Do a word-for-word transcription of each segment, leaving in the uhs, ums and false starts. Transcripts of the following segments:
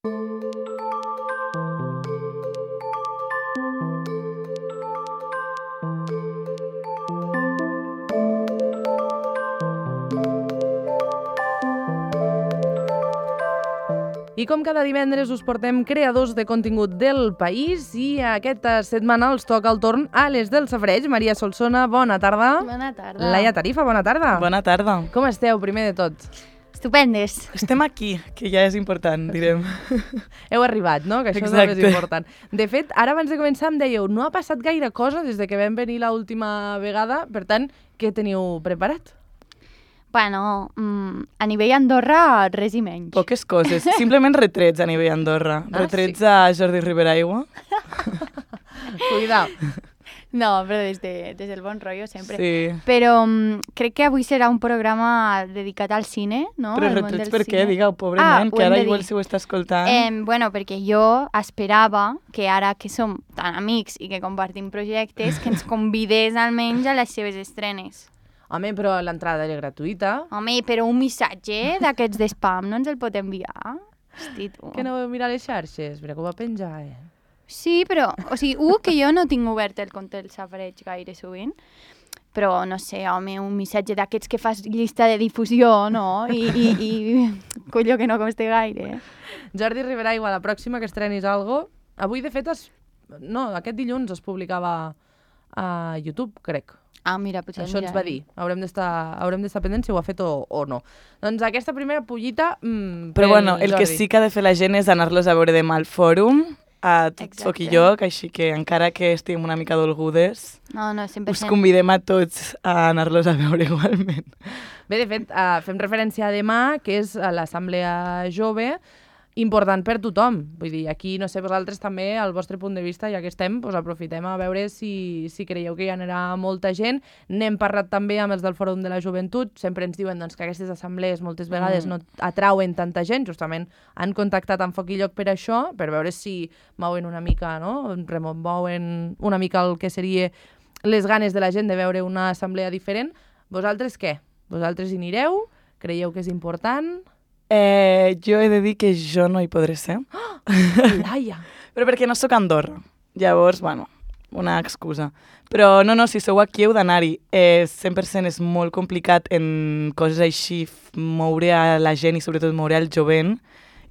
I com cada divendres us portem creadors de contingut del país i aquesta setmana els toca el torn a les del Safareig. Maria Solsona, bona tarda. Bona tarda. Laia Tarifa, bona tarda. Bona tarda. Com esteu, primer de tot? Estupendes. Estem aquí, que ja és important, direm. Heu arribat, no? Que això Exacte. és el més important. De fet, ara abans de començar em dèieu, no ha passat gaire cosa des de que vam venir l'última vegada, per tant, què teniu preparat? Bueno, mm, a nivell Andorra, res i menys. Poques coses, simplement retrets a nivell Andorra. Ah, retrets sí? a Jordi Ribera Aigua. Cuidao. No, però des, de, des del bon rotllo sempre. Sí. Però mm, crec que avui serà un programa dedicat al cine, no? Però Al món retrets del per què? cine. Digue-ho, pobre Ah, nen, ho que hem ara de igual dir. si ho està escoltant. Eh, bueno, perquè jo esperava que ara que som tan amics i que compartim projectes, que ens convidés almenys a les seves estrenes. Home, però l'entrada era gratuïta. Home, però un missatge d'aquests de spam no ens el pot enviar? Hosti, tu. Que no vau mirar les xarxes? Mira que ho va penjar, eh? Sí, però, o sigui, u, que jo no tinc obert el compte del Safareig gaire sovint, però, no sé, home, un missatge d'aquests que fas llista de difusió, no? I, i, i colló que no costa gaire. Eh? Jordi Ribera Aigua, la pròxima que estrenis algo. Avui, de fet, es... no, aquest dilluns es publicava a YouTube, crec. Ah, mira, potser Això ens va dir. Haurem d'estar haurem d'estar pendents si ho ha fet o, o no. Doncs aquesta primera pollita... Mmm, Però bueno, el que sí que ha de fer la gent és anar-los a veure demà al fòrum, a tot Exacte. foc i lloc, així que encara que estiguem una mica dolgudes, No, no, cent per us cent. convidem a tots a anar-los a veure igualment. Bé, de fet, uh, fem referència a demà, que és a l'Assemblea Jove, important per tothom. Vull dir, aquí, no sé, vosaltres també, al vostre punt de vista, ja que estem, doncs aprofitem a veure si, si creieu que hi anirà molta gent. N'hem parlat també amb els del Fòrum de la Joventut. Sempre ens diuen doncs, que aquestes assemblees moltes vegades Mm. no atrauen tanta gent. Justament han contactat amb Foc i Lloc per això, per veure si mouen una mica, no? Remouen una mica el que seria les ganes de la gent de veure una assemblea diferent. Vosaltres què? Vosaltres hi anireu? Creieu que és important? Eh, jo he de dir que jo no hi podré ser. Laia! Però perquè no sóc a Andorra. Llavors, bueno, una excusa. Però no, no, si sou aquí heu d'anar-hi. Eh, cent per cent és molt complicat en coses així f- moure a la gent i sobretot moure al jovent.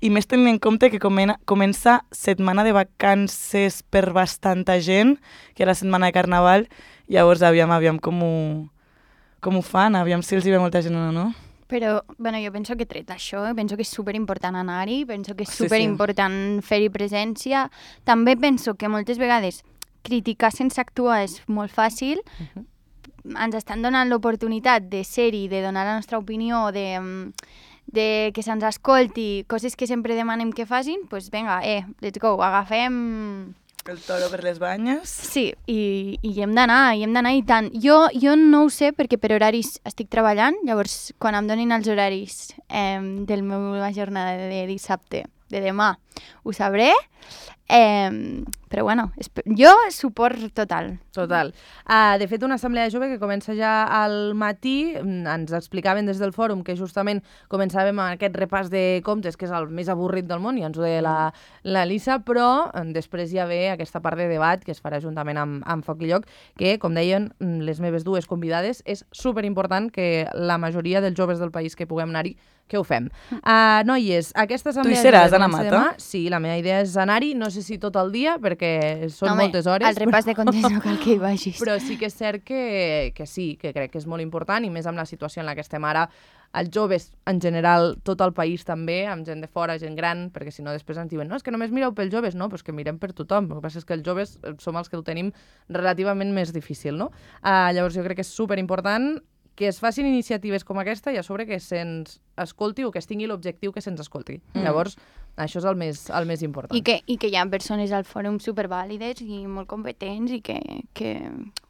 I més tenint en compte que comena, comença setmana de vacances per bastanta gent, que era la setmana de Carnaval. Llavors, aviam, aviam com ho, com ho fan, aviam si els hi ve molta gent o no. Però, bueno, jo penso que tret això, penso que és superimportant anar-hi, penso que és Sí, sí. superimportant fer-hi presència. També penso que moltes vegades criticar sense actuar és molt fàcil. Uh-huh. Ens estan donant l'oportunitat de ser-hi, de donar la nostra opinió, de, de que se'ns escolti, coses que sempre demanem que facin, doncs pues vinga, eh, let's go, agafem... El toro per les banyes. Sí, i, i hi hem d'anar, hi hem d'anar i tant. Jo, jo no ho sé perquè per horaris estic treballant, llavors quan em donin els horaris eh, de la meva jornada de dissabte, de demà, ho sabré. Eh, però bueno, esp- jo suport total. Total. Uh, de fet, una assemblea jove que comença ja al matí, mm, ens explicaven des del fòrum que justament començàvem amb aquest repàs de comptes, que és el més avorrit del món, i ens ho deia la, la Lisa, però eh, després ja ve aquesta part de debat que es farà juntament amb, amb Foc i Lloc, que, com deien mm, les meves dues convidades, és superimportant que la majoria dels joves del país que puguem anar-hi, que ho fem. Uh, noies, aquesta assemblea... Tu hi seràs, jove Anna comença Mata? demà. Sí, la meva idea és anar-hi, no sé si tot el dia, perquè són Home, moltes hores. al repàs de comptes no cal que hi vagis. Però sí que és cert que, que sí, que crec que és molt important, i més amb la situació en la que estem ara, els joves en general, tot el país també, amb gent de fora, gent gran, perquè si no després ens diuen no, és que només mireu pels joves, no, doncs que mirem per tothom. El que passa és que els joves som els que ho tenim relativament més difícil, no? Uh, llavors jo crec que és superimportant que es facin iniciatives com aquesta i a sobre que se'ns escolti o que es tingui l'objectiu que se'ns escolti. Mm. Llavors, això és el més, el més important. I que, I que hi ha persones al fòrum supervàlides i molt competents i que, que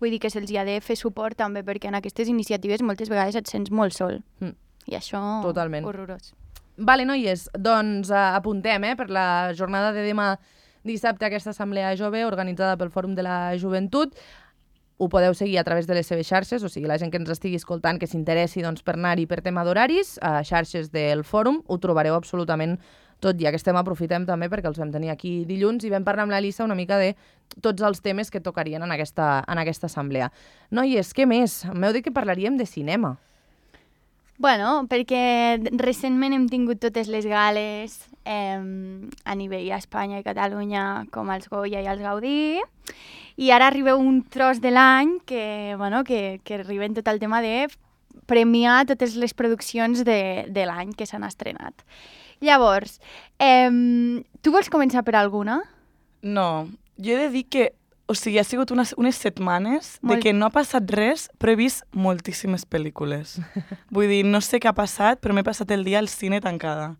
vull dir que se'ls hi ha de fer suport també, perquè en aquestes iniciatives moltes vegades et sents molt sol. Mm. I això, Totalment. horrorós. Vale, noies, doncs uh, apuntem eh, per la jornada de demà dissabte aquesta assemblea jove organitzada pel Fòrum de la Joventut. Ho podeu seguir a través de les seves xarxes, o sigui, la gent que ens estigui escoltant, que s'interessi doncs, per anar-hi per tema d'horaris, a xarxes del fòrum, ho trobareu absolutament Tot ja que estem, aprofitem també perquè els vam tenir aquí dilluns i vam parlar amb l'Elisa una mica de tots els temes que tocarien en aquesta, en aquesta assemblea. Noies, què més? M'heu dit que parlaríem de cinema. Bueno, perquè recentment hem tingut totes les gales eh, a nivell a Espanya i Catalunya, com els Goya i els Gaudí, i ara arriba un tros de l'any que, bueno, que, que arriba en tot el tema de premiar totes les produccions de, de l'any que s'han estrenat. Llavors, eh, tu vols començar per alguna? No, jo he de dir que o sigui, ha sigut unes, unes setmanes Molt... de que no ha passat res, però he vist moltíssimes pel·lícules. Vull dir, no sé què ha passat, però m'he passat el dia al cine tancada.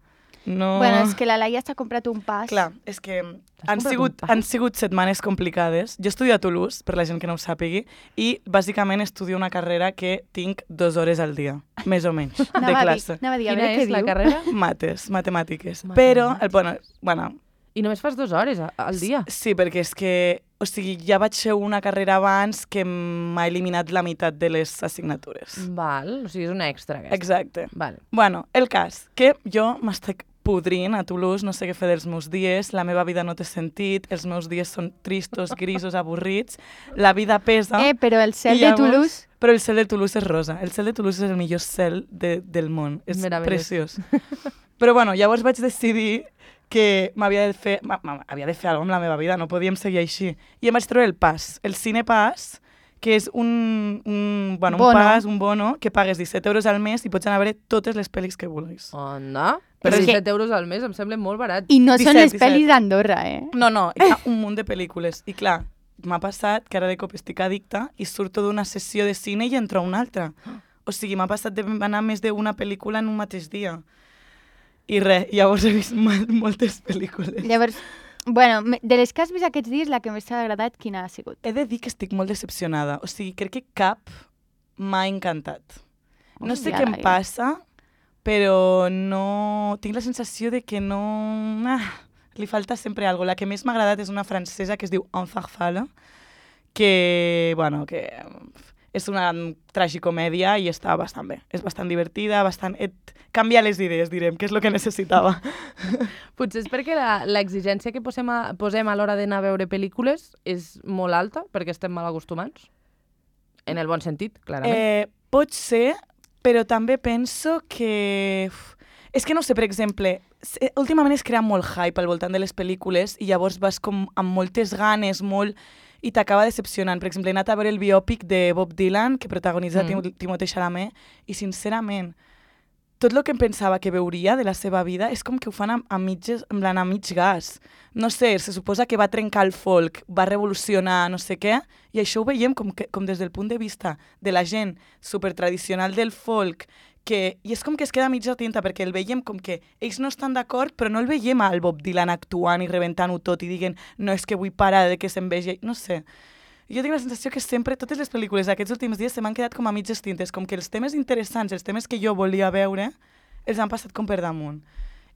No... Bueno, és que la Laia s'ha comprat un pas. Clar, és que han sigut, han sigut setmanes complicades. Jo estudio a Toulouse, per la gent que no ho sàpigui, i bàsicament estudio una carrera que tinc dues hores al dia, més o menys, de anava classe. A dir, anava a dir, a Quina veure és què la diu. carrera? Mates, matemàtiques. Matemàtiques. Però, el, bueno, bueno, I només fas dues hores a- al dia. sí, perquè és que, o sigui, ja vaig fer una carrera abans que m'ha eliminat la meitat de les assignatures. Val, o sigui, és una extra aquesta. Exacte. Val. Bueno, el cas, que jo m'estic podrint a Toulouse, no sé què fer dels meus dies, la meva vida no té sentit, els meus dies són tristos, grisos, avorrits, la vida pesa... Eh, però el cel I de llavors- Toulouse... Però el cel de Toulouse és rosa. El cel de Toulouse és el millor cel de, del món. És Meravellós. preciós. Però bueno, llavors vaig decidir que m'havia de fer... ma- ma- Havia de fer alguna cosa amb la meva vida, no podíem seguir així. I em vaig treure el pas, el Cine Pass, que és un, un, bueno, un Bono. pas, un bono, que pagues disset euros al mes i pots anar a veure totes les pel·lis que vulguis. Onda? Per És que- disset euros al mes em sembla molt barat. I no són disset, les pel·lis disset. d'Andorra, eh? No, no, hi ha un munt de pel·lícules. I clar, m'ha passat que ara de cop estic addicta i surto d'una sessió de cine i entro a una altra. O sigui, m'ha passat d'anar més d'una pel·lícula en un mateix dia. I res, llavors he vist mal, moltes pel·lícules. Llavors, bueno, me- de les que has vist aquests dies, la que més t'ha agradat, quina ha sigut? He de dir que estic molt decepcionada. O sigui, crec que cap m'ha encantat. No sé Hòstia, què em Laia. passa, però no... Tinc la sensació de que no... Ah, li falta sempre alguna cosa. La que més m'ha agradat és una francesa que es diu En Farfalle, que, bueno, que és una tragicomèdia i està bastant bé. És bastant divertida, bastant... Et canvia les idees, direm, que és el que necessitava. Potser és perquè la- l'exigència que posem a, posem a l'hora d'anar a veure pel·lícules és molt alta, perquè estem mal acostumats. En el bon sentit, clarament. Eh, pot ser, però també penso que... Uf, és que no sé, per exemple, se- últimament es crea molt hype al voltant de les pel·lícules i llavors vas com amb moltes ganes, molt... i t'acaba decepcionant. Per exemple, he anat a veure el biòpic de Bob Dylan, que protagonitza Mm. mm. Timothée Chalamet, i sincerament, tot el que em pensava que veuria de la seva vida és com que ho fan a, a, mitges, en plan, a mig gas. No sé, se suposa que va trencar el folk, va revolucionar no sé què, i això ho veiem com, que, com des del punt de vista de la gent supertradicional del folk, que, i és com que es queda a mitja tinta, perquè el veiem com que ells no estan d'acord, però no el veiem al Bob Dylan actuant i rebentant-ho tot i diguen no, és que vull parar de que se'n vegi... No sé. Jo tinc la sensació que sempre, totes les pel·lícules d'aquests últims dies se m'han quedat com a mitges tintes, com que els temes interessants, els temes que jo volia veure, els han passat com per damunt.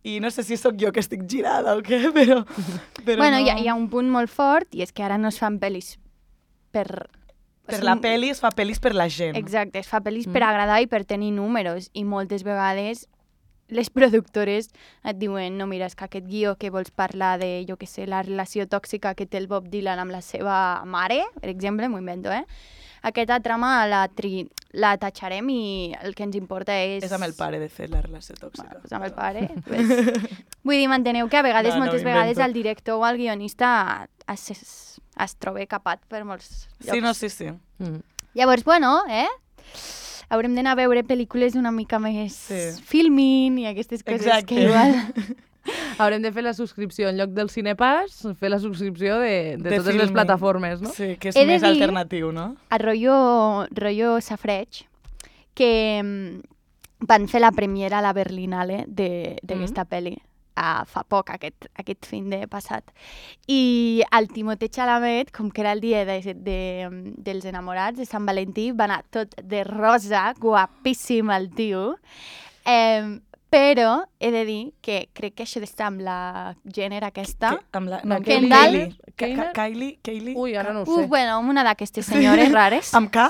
I no sé si sóc jo que estic girada o què, però... però Bueno, no... hi ha, hi ha un punt molt fort, i és que ara no es fan pel·lis per... Per o sigui, la pel·li es fa pel·lis per la gent. Exacte, es fa pel·lis Mm. per agradar i per tenir números, i moltes vegades les productores et diuen no, mira, és que aquest guió que vols parlar de, jo què sé, la relació tòxica que té el Bob Dylan amb la seva mare, per exemple, m'ho invento, eh? Aquesta trama la, tri... la tatxarem i el que ens importa és... És amb el pare, de fet, la relació tòxica. Bueno, és amb el pare. Pues... Vull dir, m'enteneu que a vegades, No, no, moltes invento. vegades, el director o el guionista es, es, es troba capat per molts llocs. Sí, no, sí, sí. Mm. Llavors, bueno, eh? Haurem d'anar a veure pel·lícules una mica més Sí. filming i aquestes coses Exacte. que igual... Haurem de fer la subscripció en lloc del Cinepass, fer la subscripció de, de, De totes les filming. plataformes, no? Sí, que és He de més dir- alternatiu, no? A rotllo, rotllo safreig, que mm, van fer la premiera a la Berlinale de- d'aquesta mm. pel·li a fa poc, aquest, aquest fin de passat. I el Timothée Chalamet, com que era el dia de, de, dels enamorats de Sant Valentí, va anar tot de rosa, guapíssim el tio, eh, però he de dir que crec que això d'estar amb la gènere aquesta... Que, amb la, La no, Kendall? Kylie. Ka- Keiner? Ka- Kylie, Kylie. Ui, ara no ho Uf, sé. bueno, una d'aquestes senyores rares. Amb K?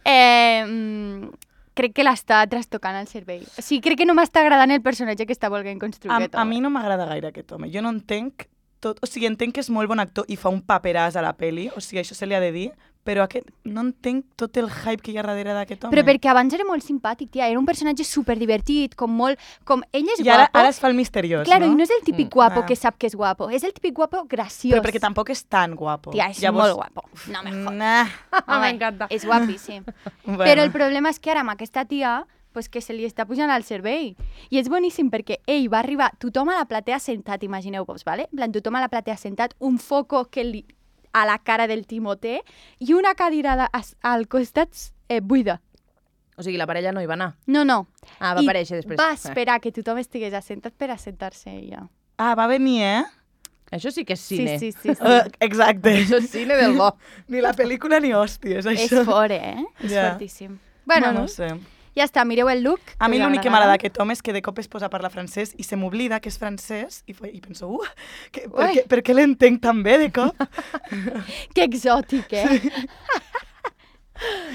Eh, mm, crec que l'està trastocant el cervell. O sigui, crec que no m'està agradant el personatge que està volent construir A, aquest a home. mi no m'agrada gaire aquest home. Jo no entenc tot... O sigui, entenc que és molt bon actor i fa un paperàs a la peli, o sigui, això se li ha de dir, però aquest, no entenc tot el hype que hi ha darrere d'aquest home. Però perquè abans era molt simpàtic, tia. Era un personatge superdivertit, com molt... Com ell és I ara, guapo. ara es fa el misteriós, Claro, no? i no és el típic Mm. guapo Ah. que sap que és guapo. És el típic guapo graciós. Però perquè tampoc és tan guapo. Tia, és Llavors... molt guapo. No me jodas. Nah. Home, M'encanta. És guapíssim. Bueno. Però el problema és que ara amb aquesta tia pues que se li està pujant al cervell. I és boníssim perquè ell va arribar, tothom a la platea sentat, imagineu-vos, ¿vale? En plan, tothom a la platea sentat, un foco que li, a la cara del Timoté i una cadira de, as, al costat eh, buida. O sigui, la parella no hi va anar. No, no. Ah, va I aparèixer després. va esperar que tothom estigués assentat per assentar-se ella. Ah, va venir, eh? Eh, això sí que és cine. Sí, sí, sí. sí. Uh, exacte. Això és cine del bo. Ni la pel·lícula ni hòsties, És això. fort, eh? És Ja. fortíssim. Bueno, no no. sé. Ja està, mireu el look. A mi us l'únic que agradarà. m'agrada d'aquest home és que de cop es posa a parlar francès i se m'oblida que és francès i, fa- i penso, uh, que, per, Ui. què, per què l'entenc tan bé de cop? Que exòtic, eh?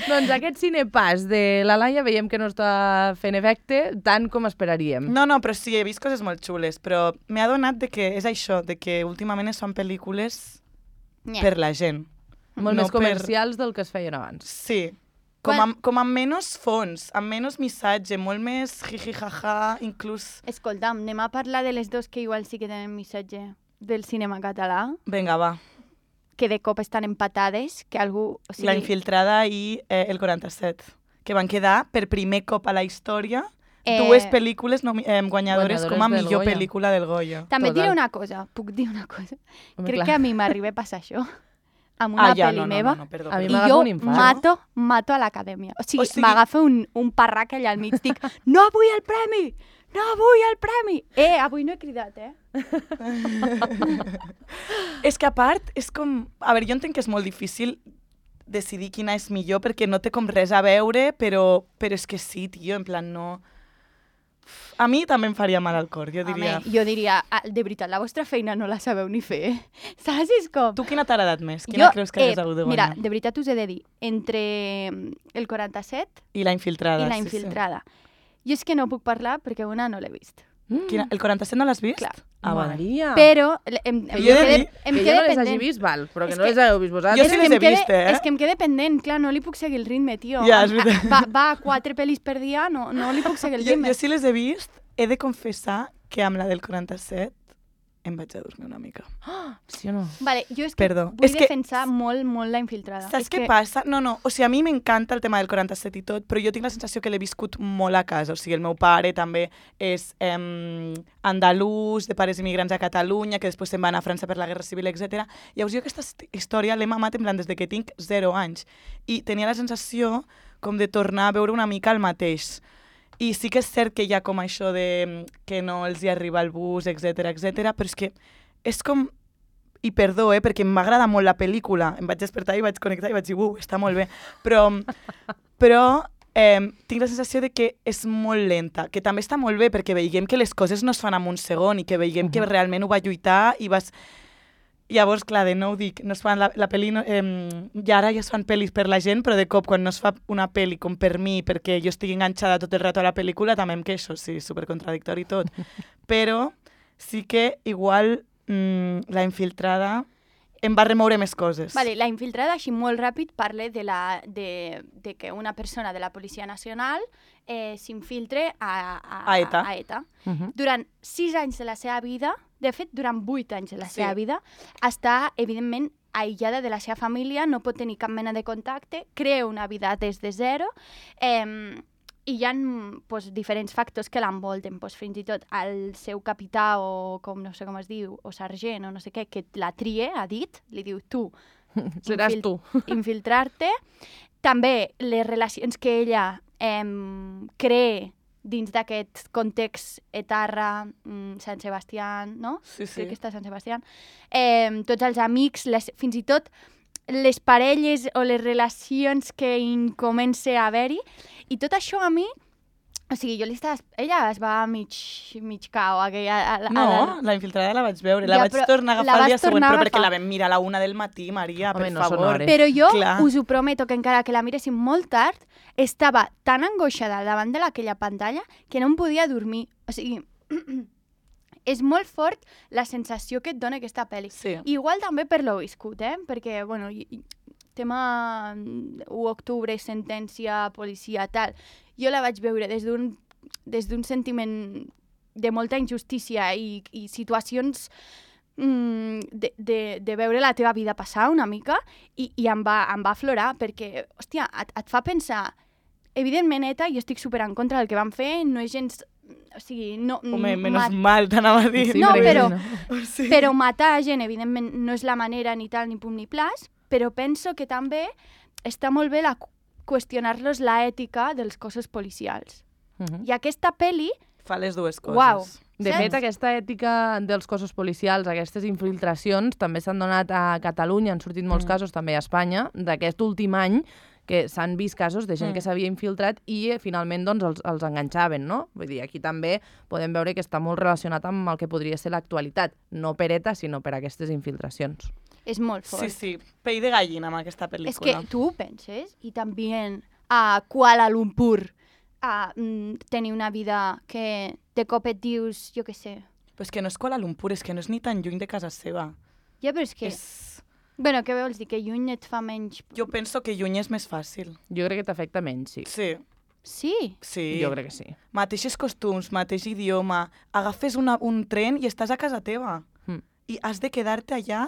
Doncs aquest cinepàs de la Laia veiem que no està fent efecte tant com esperaríem. No, no, però sí, he vist coses molt xules, però m'he adonat de que és això, de que últimament es fan pel·lícules Nye. per la gent. Molt no més comercials del que es feien abans. Sí, com, Quan- amb, com amb menys fons, amb menys missatge, molt més jiji-jaja, inclús... Escolta'm, anem a parlar de les dos que igual sí que tenen missatge del cinema català, Vinga, va. que de cop estan empatades, que algú... O sigui, La Infiltrada i eh, el quaranta-set, que van quedar per primer cop a la història Eh, dues pel·lícules nomi- eh, guanyadores, Guanyadores com a del millor Goya. pel·lícula del Goya. També et diré Total. una cosa, puc dir una cosa. Home, Crec clar. que a mi m'arriba a passar això, amb una ah, ja, pel·li no, no, meva, no, no, perdó, A mi i perdó. m'agafa jo un infart. mato, mato a l'acadèmia. O sigui, O sigui- m'agafa un, un parrac allà al mig, dic, no vull el premi! No vull el premi! Eh, avui no he cridat, eh? És que a part, és com... A veure, jo entenc que és molt difícil decidir quina és millor perquè no té com res a veure, però, però és que sí, tio, en plan, no... A mi també em faria mal al cor, jo diria... Home, jo diria, ah, de veritat, la vostra feina no la sabeu ni fer. Saps? És com... Tu quina t'ha agradat més? Quina creus que hagués hagut de Mira, guanyar? de veritat us he de dir, entre mm, el quaranta-set I La Infiltrada. i la sí, infiltrada. Jo és que no puc parlar perquè una no l'he vist. Mm. Sí. Quina, el quaranta-set no l'has vist? Clar. Ah, vale. Maria. Però em, em, Que em, jo he de quede, dir em que jo quede no les hagi pendent. vist, val, però que És no que- les heu vist Jo vosaltres. sí que les em he quede, vist, eh? És que em quede pendent, clar, no li puc seguir el ritme, tio. Ja, és Em- veritat. va, va a quatre pel·lis per dia, no, no li puc seguir el Jo, ritme. jo sí les he vist, he de confessar que amb la del quaranta-set em vaig a dormir una mica. Sí o no? Vale, jo és que Perdó. vull És que- defensar molt, molt la infiltrada. Saps és què que... passa? No, no, o sigui, a mi m'encanta el tema del quaranta-set i tot, però jo tinc la sensació que l'he viscut molt a casa. O sigui, el meu pare també és eh, andalús, de pares immigrants a Catalunya, que després se'n va anar a França per la Guerra Civil, etcètera. Llavors jo aquesta hist- història l'he mamat en plan des de que tinc zero anys. I tenia la sensació com de tornar a veure una mica el mateix. I sí que és cert que hi ha com això de mm, que no els hi arriba el bus, etcètera, etcètera, però és que és com... I perdó, eh, perquè m'agrada molt la pel·lícula. Em vaig despertar i vaig connectar i vaig dir, uh, està molt bé. Però, però eh, tinc la sensació de que és molt lenta, que també està molt bé perquè veiem que les coses no es fan en un segon i que veiem que realment ho va lluitar i vas... Llavors, clar, de nou dic, no es fan la, la pel·li... No, eh, I ara ja es fan pel·lis per la gent, però de cop, quan no es fa una pel·li com per mi, perquè jo estic enganxada tot el rato a la pel·lícula, també em queixo, sí, supercontradictori i tot. Però sí que igual mm, la infiltrada em va remoure més coses. Vale, la infiltrada, així molt ràpid, parla de, la, de, de que una persona de la Policia Nacional eh, s'infiltre a, a, A ETA. A ETA. Uh -huh. Durant sis anys de la seva vida, de fet, durant vuit anys de la Sí. seva vida, està, evidentment, aïllada de la seva família, no pot tenir cap mena de contacte, crea una vida des de zero, eh, i hi ha pues, diferents factors que l'envolten, pues, fins i tot el seu capità o com no sé com es diu, o sergent o no sé què, que la trie, ha dit, li diu tu, Seràs infil- tu. infiltrar-te. També les relacions que ella eh, crea dins d'aquest context etarra, mm, Sant Sebastià, no? Sí, sí. Crec que està a Sant Sebastià. Eh, tots els amics, les, fins i tot les parelles o les relacions que in comença a haver-hi. I tot això a mi O sigui, jo li estava... Ella es va mig, mig cau. Aquella, a, a, No, a, la infiltrada la vaig veure. La Ja, vaig però tornar a la agafar el dia vas següent, tornar a però perquè agafar. la vam mirar a la una del matí, Maria, Home, per no són favor. hores. Però jo Clar. us ho prometo que encara que la miréssim molt tard, estava tan angoixada davant de aquella pantalla que no em podia dormir. O sigui, és molt fort la sensació que et dona aquesta pel·li. Sí. Igual també per l'ho viscut, eh? Perquè, bueno, i- i- tema u d'octubre, sentència, policia, tal. Jo la vaig veure des d'un des d'un sentiment de molta injustícia i, i situacions mm, de, de, de veure la teva vida passar una mica i, i em, va, em va aflorar perquè, hòstia, et, et fa pensar evidentment, ETA, jo estic super en contra del que van fer, no és gens... O sigui, no... Home, menos mat- mal, t'anava a dir. Sí, No, perquè però- si no. Sí. Però matar gent, evidentment, no és la manera ni tal, ni pum, ni plas, però penso que també està molt bé la, qüestionar-los l'ètica dels cossos policials. Mhm. I aquesta pel·li, Fa les dues coses. Uau. De Saps? fet, aquesta ètica dels cossos policials, aquestes infiltracions, també s'han donat a Catalunya, han sortit molts Mm. casos, també a Espanya, d'aquest últim any, que s'han vist casos de gent Mm. que s'havia infiltrat i eh, finalment doncs, els, els enganxaven, no? Vull dir, aquí també podem veure que està molt relacionat amb el que podria ser l'actualitat, no per ETA, sinó per aquestes infiltracions. és molt fort. Sí, sí, pell de gallina amb aquesta pel·lícula. És que tu ho penses, i també a Kuala Lumpur a mm, tenir una vida que de cop et dius, jo què sé. Però és que no és Kuala Lumpur, és que no és ni tan lluny de casa seva. Ja, però és que... És... Bueno, què vols dir? Que lluny et fa menys... Jo penso que lluny és més fàcil. Jo crec que t'afecta menys, sí. Sí, Sí. sí. Jo crec que sí. Mateixos costums, mateix idioma. Agafes una, un tren i estàs a casa teva. Mm. I has de quedar-te allà,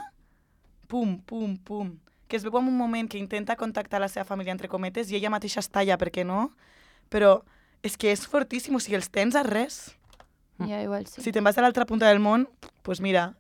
pum, pum, pum. Que es veu en un moment que intenta contactar la seva família, entre cometes, i ella mateixa està allà, per què no? Però és que és fortíssim, o sigui, els tens a res. Ja, igual sí. Si te'n vas a l'altra punta del món, doncs pues mira,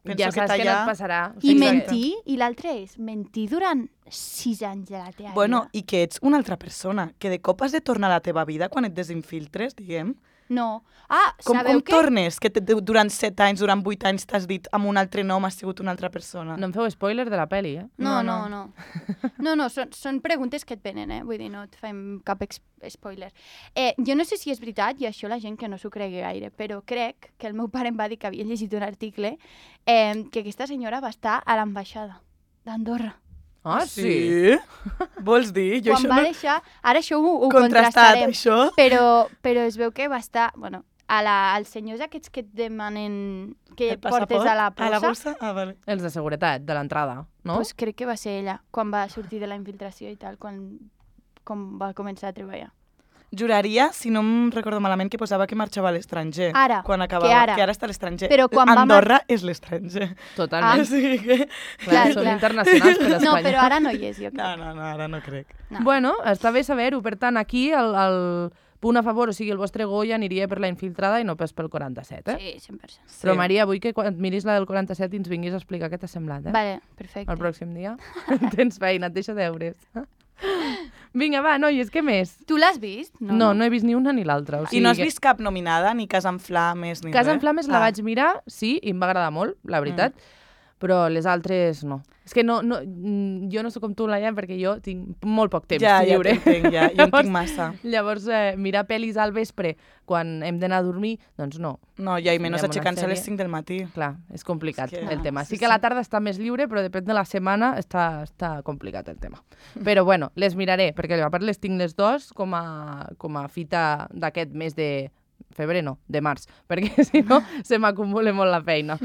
penso Ja que saps que no t'allà... et passarà. O I sigui, mentir, i l'altre és mentir durant sis anys de la teva Bueno, vida. i que ets una altra persona, que de cop has de tornar a la teva vida quan et desinfiltres, diguem. No. Ah, Com, sabeu com què? tornes? Que te, durant set anys, durant vuit anys t'has dit amb un altre nom has sigut una altra persona. No em feu spoiler de la pel·li, eh? No, No, no, no. No, no, són, són preguntes que et venen, eh? Vull dir, no et fem cap ex- spoiler. Eh, jo no sé si és veritat, i això la gent que no s'ho cregui gaire, però crec que el meu pare em va dir que havia llegit un article eh, que aquesta senyora va estar a l'ambaixada d'Andorra. Ah, sí? Vols dir? Jo Quan això va no... deixar... Ara això ho, ho Contrastat, contrastarem. això. Però, però es veu que va estar... Bueno, a la, als senyors aquests que et demanen que El portes passaport? a la bossa, A la bossa? Ah, vale. Els de seguretat, de l'entrada, no? pues crec que va ser ella, quan va sortir de la infiltració i tal, quan, quan va començar a treballar. Juraria, si no em recordo malament, que posava que marxava a l'estranger. Ara, quan acabava, que ara. que ara està a l'estranger. Però quan va Andorra és l'estranger. Totalment. O sigui que... Clar, Clar, són clar. internacionals per Espanya. No, però ara no hi és, jo crec. No, no, no, ara no crec. No. Bueno, està bé saber-ho. Per tant, aquí el, el punt a favor, o sigui, el vostre Goya aniria per la infiltrada i no pas pel quaranta-set, eh? Sí, cent per cent. Però, Maria, vull que quan et miris la del quaranta-set i ens vinguis a explicar què t'ha semblat, eh? Vale, perfecte. El pròxim dia. Tens feina, et deixa deures. Vinga, va, noies, què més? Tu l'has vist? No, no he vist ni una ni l'altra. O I no has que- vist cap nominada, ni Casa en Flames, ni Casa res? en Flames la Ah. vaig mirar, sí, i em va agradar molt, la veritat, però les altres no. És que no, no, mm, jo no sóc com tu, Laia, perquè jo tinc molt poc temps Ja, ja lliure. t'entenc, ja. Jo en tinc massa. Llavors, eh, mirar pel·lis al vespre quan hem d'anar a dormir, doncs no. No, ja, i menys Mirem una aixecant-se a les sèrie. cinc del matí. Clar, és complicat És que- el tema. sí, Sí que a la sí. tarda està més lliure, però depèn de la setmana està, està complicat el tema. Però bueno, les miraré, perquè a part les tinc les dos com a, com a fita d'aquest mes de febrer, no, de març, perquè si no se m'acumula molt la feina.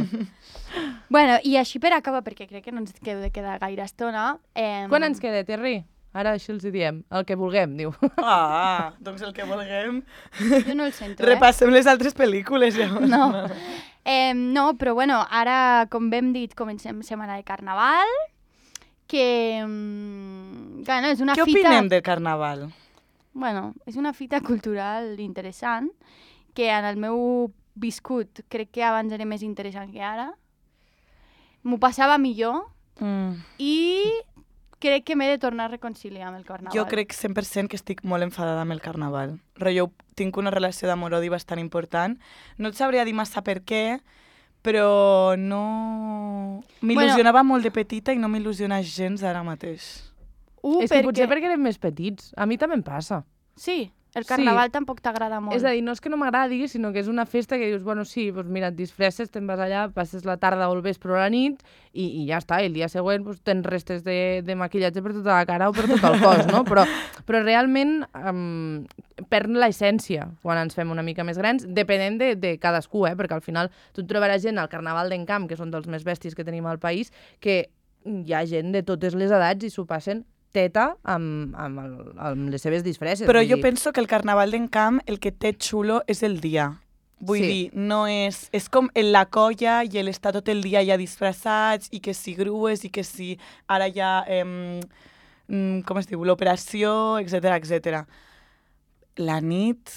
Bueno, i així per acabar, perquè crec que no ens queda de quedar gaire estona... Eh, Quan ens queda, Terri? Ara així els hi diem, el que vulguem, diu. Ah, doncs el que vulguem. Jo no el sento, eh? Repassem les altres pel·lícules, llavors. No. Eh, no, però bueno, ara, com hem dit, comencem setmana de Carnaval, que, mm, que no, és una Què fita... opinem del Carnaval? Bueno, és una fita cultural interessant, que en el meu viscut crec que abans era més interessant que ara. M'ho passava millor Mm. i crec que m'he de tornar a reconciliar amb el Carnaval. Jo crec cent per cent que estic molt enfadada amb el Carnaval. Rollo, tinc una relació d'amor-odi bastant important. No et sabria dir massa per què, però no... M'il·lusionava molt de petita i no m'il·lusiona gens ara mateix. Uh, És que potser perquè érem més petits. A mi també em passa. Sí, El carnaval sí. tampoc t'agrada molt. És a dir, no és que no m'agradi, sinó que és una festa que dius, bueno, sí, doncs mira, et disfresses, te'n vas allà, passes la tarda o el vespre o la nit i, i ja està, i el dia següent doncs, tens restes de, de maquillatge per tota la cara o per tot el cos, no? Però, però realment um, perd l'essència quan ens fem una mica més grans, depenent de, de cadascú, eh? Perquè al final tu et trobaràs gent al Carnaval d'Encamp, que són dels més bèsties que tenim al país, que hi ha gent de totes les edats i s'ho passen teta amb, amb, el, amb les seves disfresses. Però jo dir. penso que el Carnaval d'Encamp el que té xulo és el dia. Vull sí. dir, no és... És com en la colla i l'estar tot el dia ja disfressats i que si grues i que si ara ja... Eh, com es diu? L'operació, etcètera, etcètera. La nit...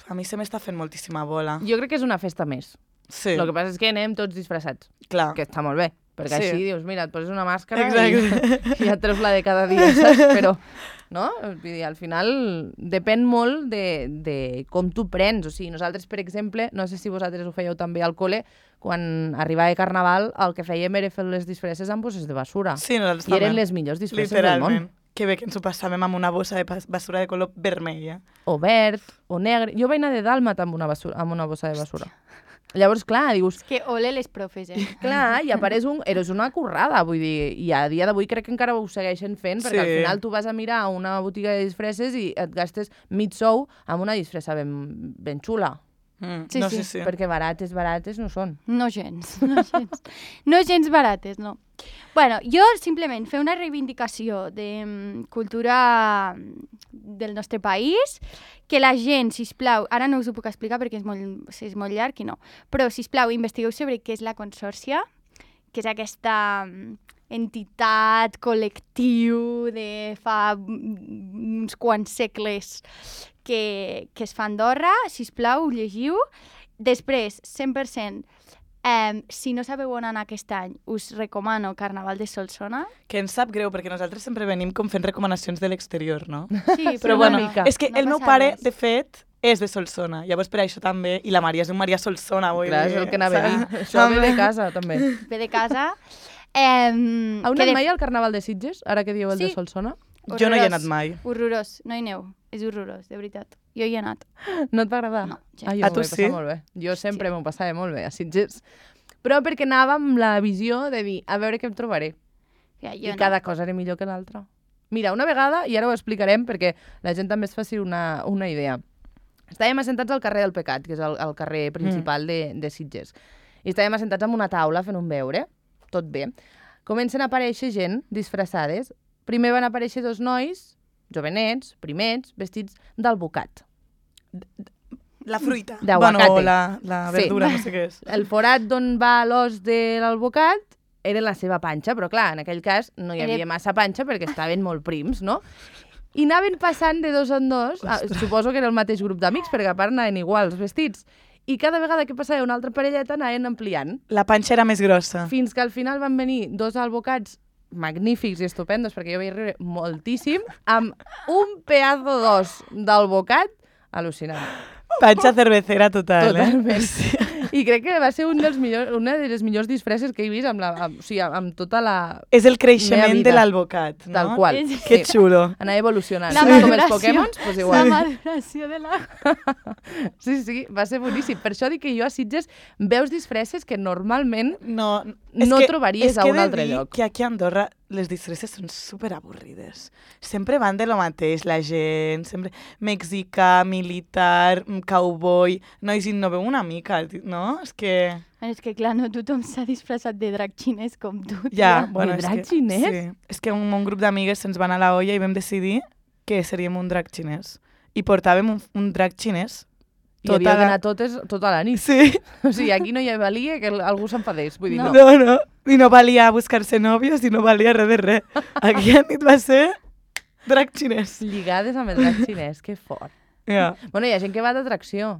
A mi se m'està fent moltíssima bola. Jo crec que és una festa més. Sí. El que passa és que anem tots disfressats. Clar. Que està molt bé. Perquè sí. així dius, mira, et poses una màscara Exacte. i, i ja et treus la de cada dia, saps? Però, no? Vull dir, al final depèn molt de, de com tu prens. O sigui, nosaltres, per exemple, no sé si vosaltres ho fèieu també al col·le, quan arribava el Carnaval, el que fèiem era fer les disfresses amb bosses de basura. Sí, nosaltres I també. eren les millors disfresses del món. Literalment. Que bé que ens ho passàvem amb una bossa de basura de color vermella. O verd, o negre. Jo vaig anar de dàlmata amb una, basura, amb una bossa de basura. Llavors, clar, dius... És que ole les profes, eh? Clar, i apareix un... Eres una currada, vull dir, i a dia d'avui crec que encara ho segueixen fent, perquè sí. al final tu vas a mirar una botiga de disfresses i et gastes mig sou amb una disfressa ben, ben xula. Mm, sí, no, sí, sí, sí. Perquè barates, barates no són. No gens, no gens. No gens barates, no. Bueno, jo simplement fer una reivindicació de um, cultura del nostre país, que la gent, sisplau, ara no us ho puc explicar perquè és molt, és molt llarg i no, però sisplau, investigueu sobre què és la consòrcia, que és aquesta entitat, col·lectiu de fa uns quants segles que, que es fa a Andorra, sisplau, llegiu. Després, cent per cent, eh, si no sabeu on anar aquest any, us recomano Carnaval de Solsona. Que ens sap greu, perquè nosaltres sempre venim com fent recomanacions de l'exterior, no? Sí, però una bueno, mica. És que no el meu pare, res. de fet, és de Solsona. Llavors per això també, i la Maria és un Maria Solsona. Vull Clar, dir, és el que anava a dir. Això ve de casa, també. Ve de casa. Eh, Heu anat de... mai al Carnaval de Sitges, ara que dieu el sí. de Solsona? Horrorós. Jo no hi he anat mai. Horrorós, no hi aneu. És horrorós, de veritat. Jo hi he anat. No et va agradar? No. Ja. Ah, jo a tu sí? molt bé. Jo sempre sí. m'ho passava molt bé a Sitges. Però perquè anava amb la visió de dir, a veure què em trobaré. Ja, I no. cada cosa era millor que l'altra. Mira, una vegada, i ara ho explicarem perquè la gent també es faci una, una idea. Estàvem assentats al carrer del Pecat, que és el, el carrer principal mm. de, de Sitges. I estàvem assentats en una taula fent un beure, tot bé. Comencen a aparèixer gent disfressades. Primer van aparèixer dos nois, jovenets, primets, vestits d'albocat. La fruita. D'aguacate. Bueno, la, la verdura, sí. no sé què és. El forat d'on va l'os de l'albocat era la seva panxa, però clar, en aquell cas no hi havia era... massa panxa perquè estaven molt prims, no? I anaven passant de dos en dos, ah, suposo que era el mateix grup d'amics, perquè a part anaven iguals vestits. I cada vegada que passava una altra parelleta anaven ampliant. La panxa era més grossa. Fins que al final van venir dos albocats magnífics i estupendos, perquè jo vaig riure moltíssim, amb un pedazo d'os d'albocat al·lucinant. Panxa cervecera total, Totalment. eh? Sí. I crec que va ser un dels millors, una de les millors disfresses que he vist amb, la, amb, o sigui, amb tota la... És el creixement de l'albocat, no? Tal qual. És... Que xulo. Anar evolucionant. La Sí. Com els maduració. Pokémons, doncs igual. La maduració de la... Sí, sí, va ser boníssim. Per això dic que jo a Sitges veus disfresses que normalment No, no que, trobaries a un altre lloc. Que aquí a Andorra les disfresses són superavorrides. Sempre van de lo mateix, la gent, sempre mexicà, militar, cowboy, nois innoveu una mica, no? És que... És que, clar, no tothom s'ha disfressat de drac xinès com tu. Ja, tia. bueno, De és drac que, xinès? Sí. És que un, un grup d'amigues se'ns van a la olla i vam decidir que seríem un drac xinès. I portàvem un, un drac xinès. I havia la... d'anar totes tota la nit. Sí. O sigui, aquí no hi valia que algú s'enfadés. Vull dir, no. No, no. I no valia buscar-se nòvios i no valia res de res. Aquí a nit va ser drac xinès. Lligades amb el drac xinès, que fort. Ja. Bueno, hi ha gent que va d'atracció.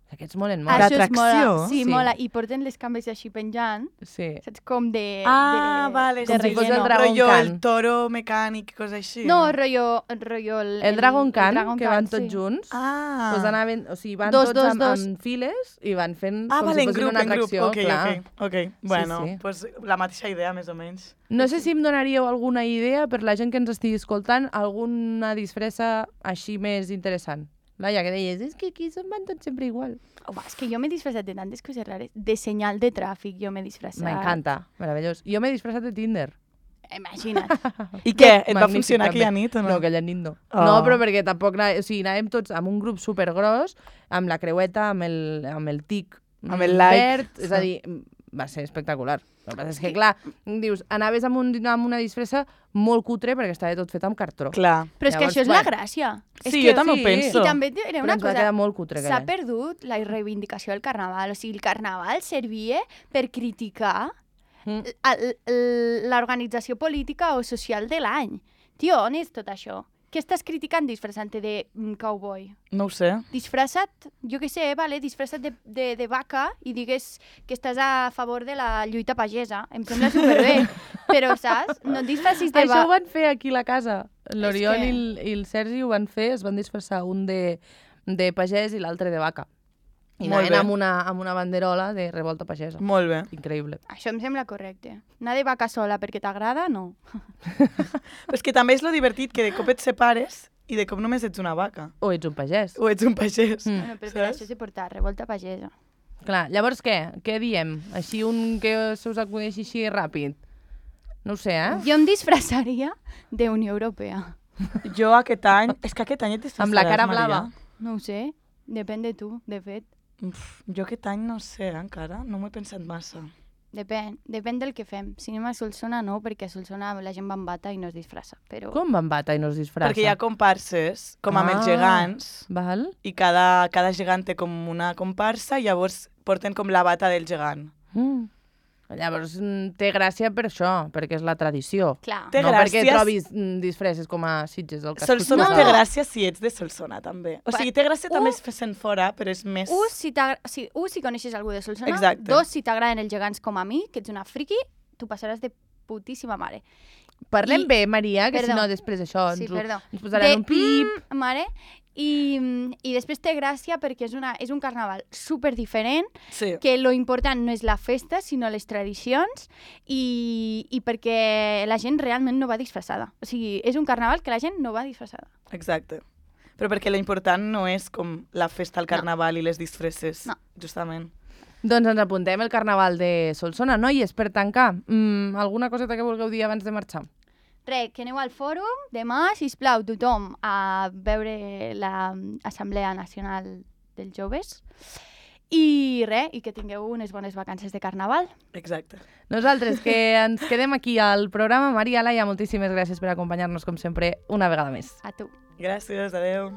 Aquests molen molt. Això és D'atracció? mola. Sí, Sí. mola. I porten les cambres així penjant. Sí. Saps? Com de... Ah, de, vale. de Com si fos el relleno. Dragon Rollo, Khan. el toro mecànic, coses així. No, rotllo... rotllo el, El Dragon Khan, Dragon que Khan, van tots sí. junts, Ah. pues anaven, o sigui, van Dos, tots dos, amb, dos. amb files i van fent Ah, com vale, si en fossin grup, una en grup. atracció. Ok, clar. ok, ok. Bueno, sí. pues la mateixa idea, més o menys. No sé si em donaríeu alguna idea per la gent que ens estigui escoltant, alguna disfressa així més interessant. Laia, que deies, és que aquí se'n van tots sempre igual. Home, és que jo m'he disfressat de tantes coses rares. De senyal de tràfic jo m'he disfressat. M'encanta, meravellós. Jo m'he disfressat de Tinder. Imagina't. I què? Et va Magnífic, funcionar també. aquella nit o no? No, aquella nit no. Oh. No, però perquè tampoc... Anà... O sigui, anàvem tots amb un grup supergros, amb la creueta, amb el, amb el tic Amb el like. verd, és a dir, va ser espectacular. El que passa és que, clar, dius, anaves amb, un, amb una disfressa molt cutre perquè estava tot fet amb cartró. Clar. Però és que Llavors, això és la bueno. gràcia. És Sí, que, jo també ho sí. penso. I també et diré Però una ens va cosa. quedar molt cutre aquell S'ha any. perdut la reivindicació del carnaval. O sigui, el carnaval servia per criticar Mm. l- l- l'organització política o social de l'any. Tio, on és tot això? Què estàs criticant disfressant-te de mm, cowboy? No ho sé. Disfressat, jo què sé, vale, disfressat de, de, de vaca i digues que estàs a favor de la lluita pagesa. Em sembla superbé. Però, saps? No et disfressis de Això ho vaca. van fer aquí a la casa. L'Oriol que- i, el, i el Sergi ho van fer, es van disfressar un de, de pagès i l'altre de vaca. I Molt anaven bé. amb una, amb una banderola de revolta pagesa. Molt bé. Increïble. Això em sembla correcte. Anar de vaca sola perquè t'agrada, no. Però és que també és lo divertit que de cop et separes i de cop només ets una vaca. O ets un pagès. O ets un pagès. Mm. Bueno, però per Saps? això s'he portat revolta pagesa. Clar, llavors què? Què diem? Així un que se us acudeixi així ràpid? No ho sé, eh? Jo em disfressaria d'Unió Europea. Jo aquest any... És que aquest any et disfressaràs, Amb la cara Maria. blava. No ho sé, depèn de tu, de fet. Uf, jo aquest any no sé, eh, encara. No m'ho he pensat massa. Depèn, depèn del que fem. Si anem a Solsona, no, perquè a Solsona la gent va amb bata i no es disfressa. Però... Com van bata i no es disfressa? Perquè hi ha comparses, com amb Ah. els gegants, Val? i cada, cada gegant té com una comparsa i llavors porten com la bata del gegant. Mm. Llavors mm, té gràcia per això, perquè és la tradició. Clar. Té no perquè gràcies- trobis mm, disfresses com a Sitges del casco. Solsona No, té no. gràcia si ets de Solsona, també. O sigui, té gràcia també Uh. fent fora, però és més... Un, si, t'agra- si, un, si coneixes algú de Solsona. Exacte. Dos, si t'agraden els gegants com a mi, que ets una friki, tu passaràs de putíssima mare. Parlem I- bé, Maria, que Perdó. si no després això ens, Sí, ho- perdó. ens posaran de, un pip. Mm, mare. I, I després té gràcia perquè és, una, és un carnaval super diferent, Sí. que lo important no és la festa, sinó les tradicions, i, i perquè la gent realment no va disfressada. O sigui, és un carnaval que la gent no va disfressada. Exacte. Però perquè l'important no és com la festa, el carnaval i les disfresses. No. Justament. Doncs ens apuntem el carnaval de Solsona. Noies, per tancar, mm, alguna coseta que vulgueu dir abans de marxar? Re, que aneu al fòrum, demà, sisplau, tothom a veure l'Assemblea Nacional dels Joves. I res, i que tingueu unes bones vacances de carnaval. Exacte. Nosaltres, que ens quedem aquí al programa. Maria, Laia, moltíssimes gràcies per acompanyar-nos, com sempre, una vegada més. A tu. Gràcies, adeu.